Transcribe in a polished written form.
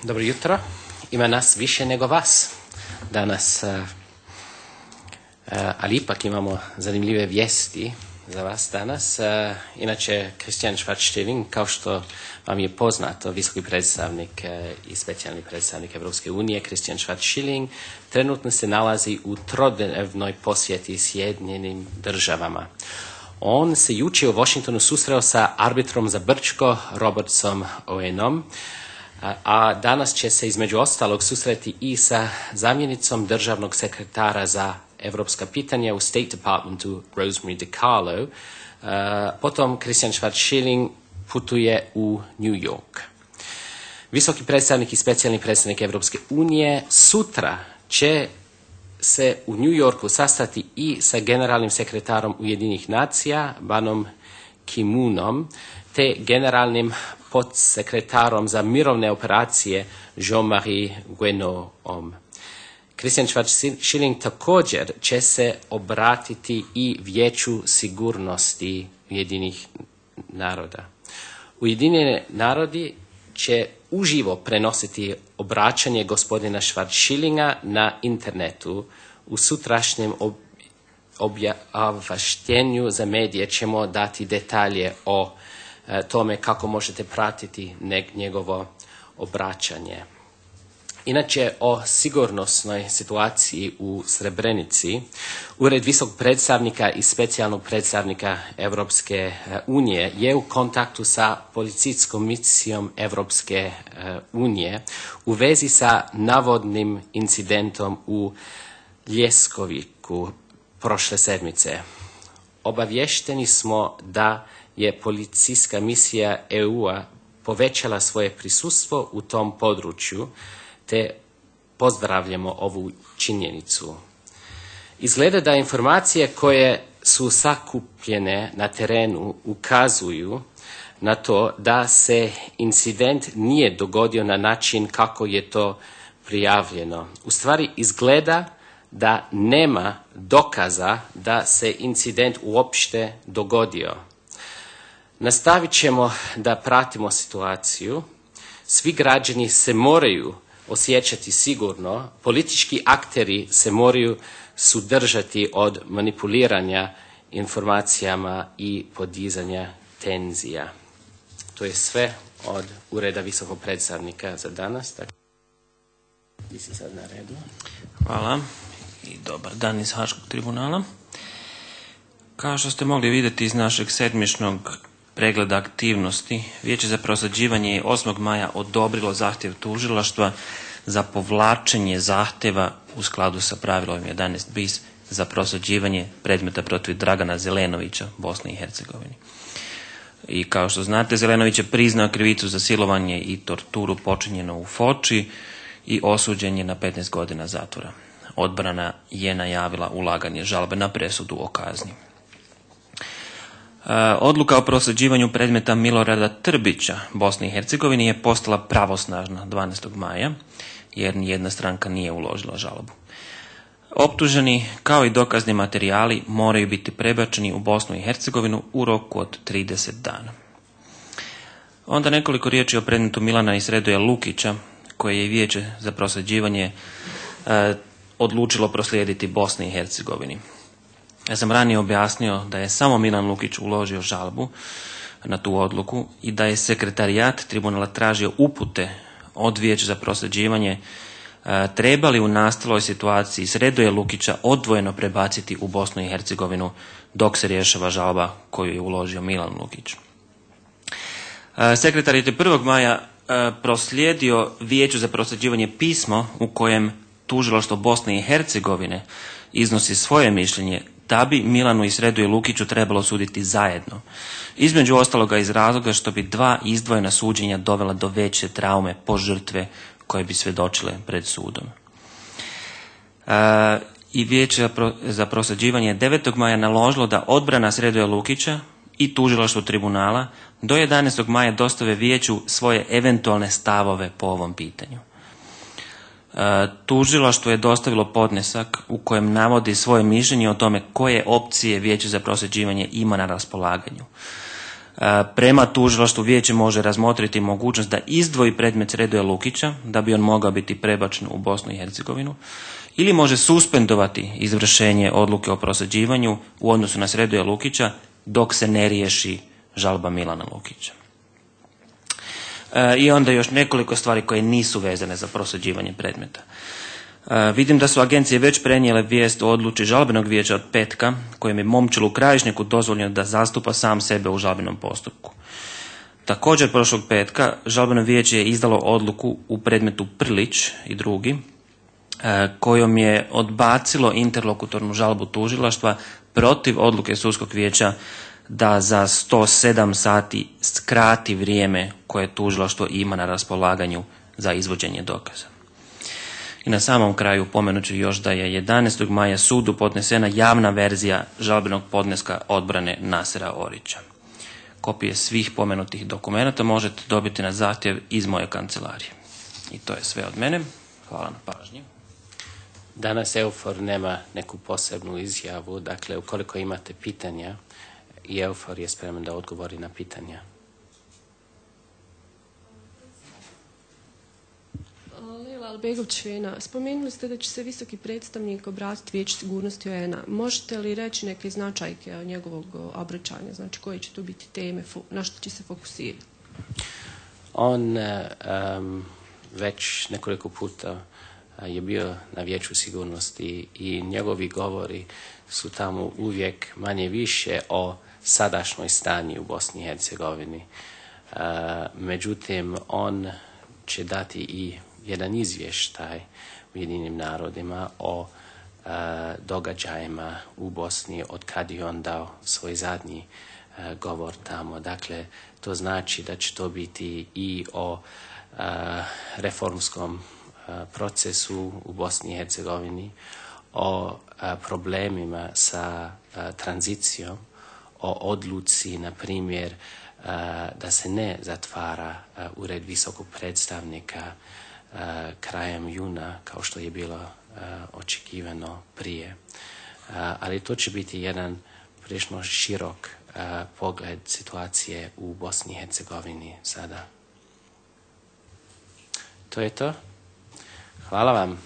Dobro jutro. Ima nas više nego vas danas, ali ipak imamo zanimljive vijesti za vas danas. Inače, Christian Schwarz-Schilling, kao što vam je poznato, visoki predstavnik i specijalni predstavnik Evropske unije, Christian Schwarz-Schilling, trenutno se nalazi u trodnevnoj posjeti Sjedinjenim državama. On se jučer u Washingtonu susreo sa arbitrom za Brčko, Robertsom Owenom, a danas će se između ostalog susreti i sa zamjenicom državnog sekretara za evropska pitanja u State Departmentu Rosemary DiCarlo. Potom Christian Schwarz-Schilling putuje u New York. Visoki predstavnik i specijalni predstavnik Evropske unije sutra će se u New Yorku sastati i sa generalnim sekretarom Ujedinjenih nacija, Banom Ki-moonom, te generalnim podsekretarom za mirovne operacije Jean-Marie Guénoom. Christian Schwarz-Schilling također će se obratiti i Vijeću sigurnosti Ujedinjenih naroda. Ujedinjeni narodi će uživo prenositi obraćanje gospodina Schwarz-Schillinga na internetu. U sutrašnjem obavještenju za medije ćemo dati detalje o tome kako možete pratiti njegovo obraćanje. Inače, o sigurnosnoj situaciji u Srebrenici, Ured visokog predstavnika i specijalnog predstavnika Evropske unije je u kontaktu sa policijskom misijom Evropske unije u vezi sa navodnim incidentom u Ljeskoviku prošle sedmice. Obavješteni smo da je policijska misija EU-a povećala svoje prisustvo u tom području, te pozdravljamo ovu činjenicu. Izgleda da informacije koje su sakupljene na terenu ukazuju na to da se incident nije dogodio na način kako je to prijavljeno. U stvari izgleda da nema dokaza da se incident uopšte dogodio. Nastavit ćemo da pratimo situaciju. Svi građani se moraju osjećati sigurno, politički akteri se moraju sudržati od manipuliranja informacijama i podizanja tenzija. To je sve od Ureda visokog predstavnika za danas. Vi ste sad na redu. Hvala i dobar dan iz Haškog tribunala. Kao što ste mogli vidjeti iz našeg sedmičnog pregleda aktivnosti, Vijeće za prosuđivanje je 8. maja odobrilo zahtjev tužilaštva za povlačenje zahtjeva u skladu sa pravilom 11 bis za prosuđivanje predmeta protiv Dragana Zelenovića, Bosni i Hercegovini. I kao što znate, Zelenović je priznao krivicu za silovanje i torturu počinjeno u Foči i osuđen je na 15 godina zatvora. Odbrana je najavila ulaganje žalbe na presudu o kazni. Odluka o prosuđivanju predmeta Milorada Trbića Bosni i Hercegovini je postala pravosnažna 12. maja, jer nijedna stranka nije uložila žalbu. Optuženi kao i dokazni materijali moraju biti prebačeni u Bosnu i Hercegovinu u roku od 30 dana. Onda nekoliko riječi o predmetu Milana i Sredoja Lukića, koje je Vijeće za prosuđivanje odlučilo proslijediti Bosni i Hercegovini. Ja sam ranije objasnio da je samo Milan Lukić uložio žalbu na tu odluku i da je sekretarijat tribunala tražio upute od Vijeća za prosuđivanje trebali u nastaloj situaciji Sredoja Lukića odvojeno prebaciti u Bosnu i Hercegovinu dok se rješava žalba koju je uložio Milan Lukić. Sekretarijat je 1. maja proslijedio Vijeću za prosuđivanje pismo u kojem tužilaštvo Bosne i Hercegovine iznosi svoje mišljenje da bi Milanu i Sredoju Lukiću trebalo suditi zajedno. Između ostaloga iz razloga što bi dva izdvojena suđenja dovela do veće traume po žrtve koje bi svjedočile pred sudom. I Vijeće za prosuđivanje je 9. maja naložilo da odbrana Sredoja Lukića i tužilaštvo tribunala do 11. maja dostave Vijeću svoje eventualne stavove po ovom pitanju. Tužilaštvo je dostavilo podnesak u kojem navodi svoje mišljenje o tome koje opcije Vijeće za prosuđivanje ima na raspolaganju. Prema tužilaštvu vijeće može razmotriti mogućnost da izdvoji predmet Sredoja Lukića da bi on mogao biti prebačen u Bosnu i Hercegovinu, ili može suspendovati izvršenje odluke o prosuđivanju u odnosu na Sredoja Lukića dok se ne riješi žalba Milana Lukića. I onda još nekoliko stvari koje nisu vezane za prosuđivanje predmeta. Vidim da su agencije već prenijele vijest o odluci žalbenog vijeća od petka kojem je Momčilu Krajišniku dozvoljeno da zastupa sam sebe u žalbenom postupku. Također prošlog petka žalbeno vijeće je izdalo odluku u predmetu Prlić i drugi kojom je odbacilo interlokutornu žalbu tužilaštva protiv odluke sudskog vijeća da za 107 sati skrati vrijeme koje tužilaštvo ima na raspolaganju za izvođenje dokaza. I na samom kraju pomenut ću još da je 11. maja sudu podnesena javna verzija žalbenog podneska odbrane Nasera Orića. Kopije svih pomenutih dokumenata možete dobiti na zahtjev iz moje kancelarije. I to je sve od mene. Hvala na pažnji. Danas EUFOR nema neku posebnu izjavu, dakle ukoliko imate pitanja, i EUFOR je spreman da odgovori na pitanja. Lejla Albegović-Fena, spomenuli ste da će se visoki predstavnik obratiti Vijeću sigurnosti UN-a. Možete li reći neke značajke njegovog obraćanja, znači koje će tu biti teme, na što će se fokusirati? On već nekoliko puta je bio na Vijeću sigurnosti i njegovi govori su tamo uvijek manje više o sadašnjoj stanju u Bosni i Hercegovini. Međutim, on će dati i jedan izvještaj Ujedinjenim narodima o događajima u Bosni od kad je on dao svoj zadnji govor tamo. Dakle, to znači da će to biti i o reformskom procesu u Bosni i Hercegovini, o problemima sa tranzicijom, o odluci, na primjer, da se ne zatvara ured visokog predstavnika krajem juna, kao što je bilo očekivano prije. Ali to će biti jedan prilično širok pogled situacije u Bosni i Hercegovini sada. To je to. Hvala vam.